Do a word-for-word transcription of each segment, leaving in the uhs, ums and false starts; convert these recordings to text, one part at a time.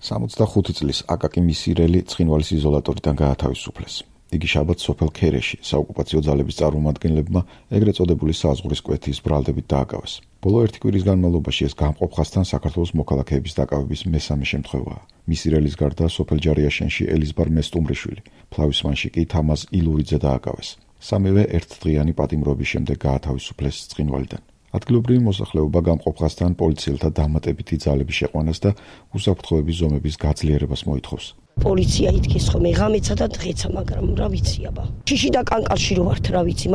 სამოცდახუთი წლის აკაკი მისირელი ცხინვალის იზოლატორიდან გაათავისუფლეს. იგი შაბათს სოფელ ქერეში საოკუპაციო ძალების წარმომადგენლებმა ეგრეთ წოდებული საზღვრის კვეთის ბრალდებით დააკავეს. ბოლო ერთი კვირის განმავლობაში ეს გამყოფხასთან საქართველოს მოქალაქეების დაკავების მესამე შემთხვევაა. მისირელის გარდა სოფელ ჯარიაშენში ელიზბარ მესტუმრიშვილი, ფლავისმანში კი თამაზ ილურიძე დააკავეს. სამივე ერთდღიანი პატიმრობის შემდეგ გაათავისუფლეს ცხინვალიდან. ადგილობრივი მოსახლეობა გამყოფხასთან პოლიციელთა დამატებითი ძალების შეყვანას და უსაფრთხოების ზომების გაძლიერებას მოითხოვს. პოლიცია ითქის ხომ ღამეცა და დღეცა, მაგრამ რა ვიცი აბა. შიში და კანკალში რო ვართ, რა ვიცი,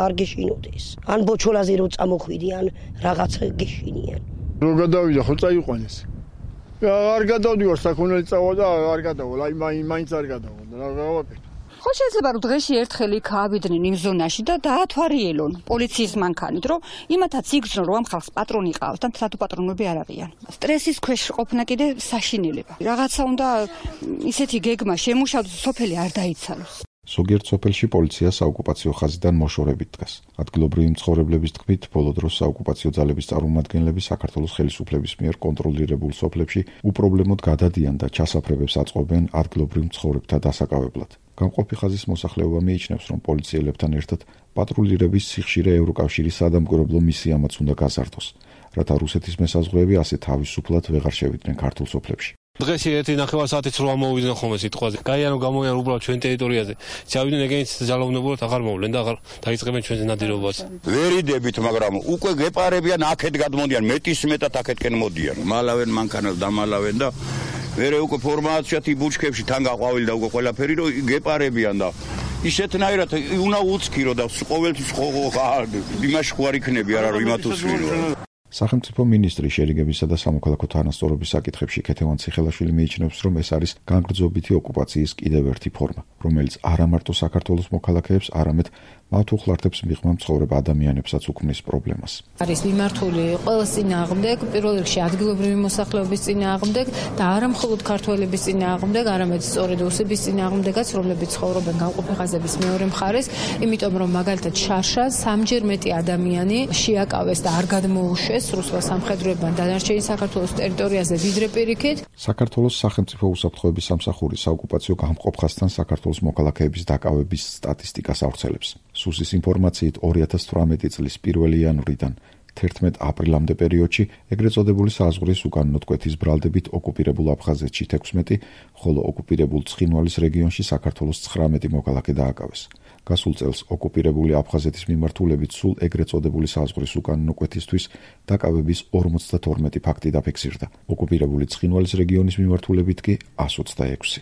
არ გეშინოდეს. ან ბოჩოლაზე რო წამოხვიდი, ან რაღაც გეშინიან. რო გადავიდა, ხო წაიყვანეს. არ გადავდივარ საქონელი წავა და არ გადავალ, აი მაინც არ გადავალ. რა გავაკეთე? ხო შეიძლება რომ დღეში ერთხელ იქ ავიდნენ იმ ზონაში და დაათვალიერონ პოლიციის მანქანით, რომ იმათაც იგრძნო რომ ამ ხალხს პატრონი ყავს და მთლად პატრონები არ არიან. სტრესის ქვეშ ყოფნა კიდე საშინელება. რაღაცა უნდა ისეთი გეგმა შემუშავდეს, სოფელი არ დაიცალოს. ზოგიერთ სოფელში პოლიცია საოკუპაციო ხაზიდან მოშორებით დგას. ადგილობრივი მცხოვრებლების თქმით, ბოლო დროს საოკუპაციო ძალების წარმომადგენლები საქართველოს ხელისუფლების მიერ კონტროლირებულ სოფლებში უპრობლემოდ გადადიან და ჩასაფრებებს აწყობენ ადგილობრივ მცხოვრებთა დასაკავებლად. გამყოფი ხაზის მოსახლეობა მიიჩნევს, რომ პოლიციელებთან ერთად პატრულირების სიხშირე ევროკავშირის სადამკვირვებლო მისიამაც უნდა გაზარდოს, რათა რუსეთის მესაზღვრეები ასე თავისუფლად ვეღარ შევიდნენ ქართულ სოფლებში. დღეს ერთი ნახევარსაათით რო ამოვიდნენ ხოლმე სიტყვაზე. გაიანო გამოიან უბრალოდ ჩვენ ტერიტორიაზე. ჩავიდნენ ეგენიც ძალაუნებურად აღარ მოვლენ და აღარ დაიწყებენ ჩვენს ნადირობას. ვერიდებით, მაგრამ უკვე გეპარებიან, აქეთ გადმოდიან, მეტის მეტად აქეთკენ მოდიან. მალავენ მანქანას დამალავენ და მერე უკვე ფორმაციათ იბუჩქებში თან გაყვავილ და უკვე ყველაფერი რომ გეპარებიან და ისეთნაირად უნდა უცქირო და ყოველთვის იმაში ხوار იქნები არა რომ იმათ უსვირო. სახელმწიფო მინისტრი შერიგებისა და სამოქალაქო თანასწორობის საკითხებში ქეთევან ციხელაშვილი მიიჩნევს, რომ ეს არის განგრძობითი ოკუპაციის კიდევ ერთი ფორმა, რომელიც არა მარტო საქართველოს მოქალაქეებს, არამედ მათ უხლართებს მიღმა მცხოვრებ ადამიანებსაც უქმნის პრობლემას. არის მიმართული ყველას წინააღმდეგ, პირველ რიგში ადგილობრივი მოსახლეობის წინააღმდეგ და არა მხოლოდ ქართველების წინააღმდეგ, არამედ სწორედ რუსების წინააღმდეგაც, რომლებიც ცხოვრობენ გამყოფი ხაზების მეორე მხარეს, იმიტომ რომ მაგალითად შარშას სამჯერ მეტი ადამიანი შეაკავეს და არ გადმოუშვეს რუსულ სამხედროებმა დანარჩენი საქართველოს ტერიტორიაზე ვიდრე პირიქით. საქართველოს სახელმწიფო უსაფრთხოების სამსახური საოკუპაციო გამყოფხასთან საქართველოს მოქალაქეების დაკავების სტატისტიკას ავრცელებს. სუსის ინფორმაციით ორი ათას თვრამეტი წლის პირველი იანვრიდან თერთმეტ აპრილამდე პერიოდში ეგრეთ წოდებული საზღვრის უკანონო კვეთის ბრალდებით ოკუპირებულ აფხაზეთში თექვსმეტი, ხოლო ოკუპირებულ ცხინვალის რეგიონში საქართველოს ცხრამეტი მოქალაქე დააკავეს. გასულ წელს ოკუპირებული აფხაზეთის მიმართულებით სულ ეგრეთ წოდებული საზღვრის უკანონო კვეთისთვის დაკავების ორმოცდათორმეტი ფაქტი დაფიქსირდა. ოკუპირებული ცხინვალის რეგიონის მიმართულებით კი ასოცდაექვსი.